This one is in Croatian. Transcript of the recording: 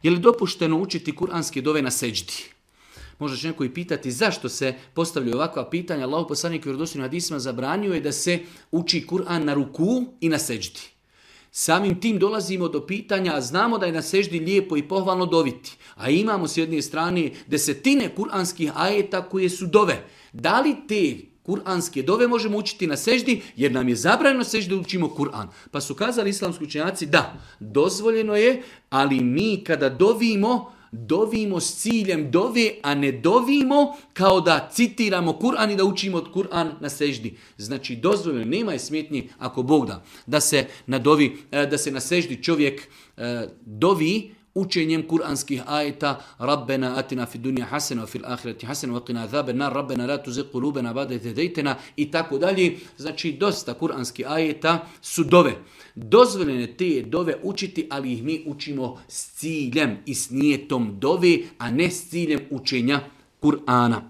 Je li dopušteno učiti kuranske dove na seđdi? Možda će neko i pitati zašto se postavljaju ovakva pitanja. Allahov poslanik u vjerodostojnim hadisima zabranio je da se uči Kur'an na ruku i na seđdi. Samim tim dolazimo do pitanja, a znamo da je na seždi lijepo i pohvalno doviti. A imamo s jedne strane desetine kuranskih ajeta koje su dove. Da li te kuranske dove možemo učiti na seždi, jer nam je zabranjeno seždi učimo Kur'an. Pa su kazali islamski učenjaci da, dozvoljeno je, ali mi kada dovimo s ciljem dove, a ne dovimo kao da citiramo Kur'an i da učimo od Kur'an na seždi. Znači dozvoljeno, nema je smetnji ako Bog da se na seždi čovjek dovi učenjem kuranskih ajeta Rabbena atina fid dunja hasena fil ahireti hasena wa qina azaben nar Rabbena la tuzigh qulubana ba'da idh hadaytana i tako dalje. Znači dosta kuranskih ajeta su dove. Dozvoljene te dove učiti, ali ih mi učimo s ciljem i s nijetom dove, a ne s ciljem učenja Kur'ana.